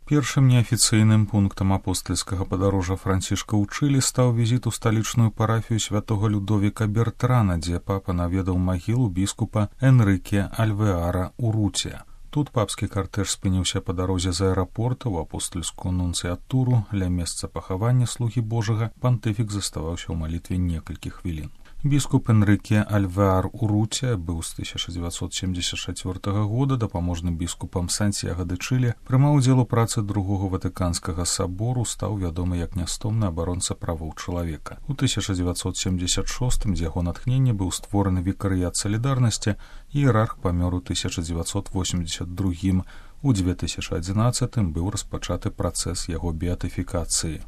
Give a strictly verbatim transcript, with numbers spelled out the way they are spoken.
Першым неафіцыйным пунктам апостальскага падарожжа Францішка ў Чылі стаў візіт у сталічную парафію святога Людовіка Бертрана, дзе папа наведаў магілу біскупа Энрыке Альвеара Уруція. Тут папскі картэж спыніўся па дарозе з аэрапорта ў апостальскую нунцыятуру. Ля месца пахавання слугі Божага пантыфік заставаўся ў малітве некалькі хвілін. Біскуп Энрыке Альвеар Уруція быў з тысяча дзевяцьсот семдзесят чацвёртага года дапаможным біскупам Сантьяго де Чылі, прымаў удзел у працы другога ватыканскага сабору, стаў вядомы як нястомны абаронца правоў чалавека. У тысяча дзевяцьсот семдзесят шостым з яго натхнення быў створаны вікарыят салідарнасці, іерарх памёр у тысяча дзевяцьсот восемьдесят другім. У две тысячи адзінаццатым быў распачаты працэс яго беатыфікацыі.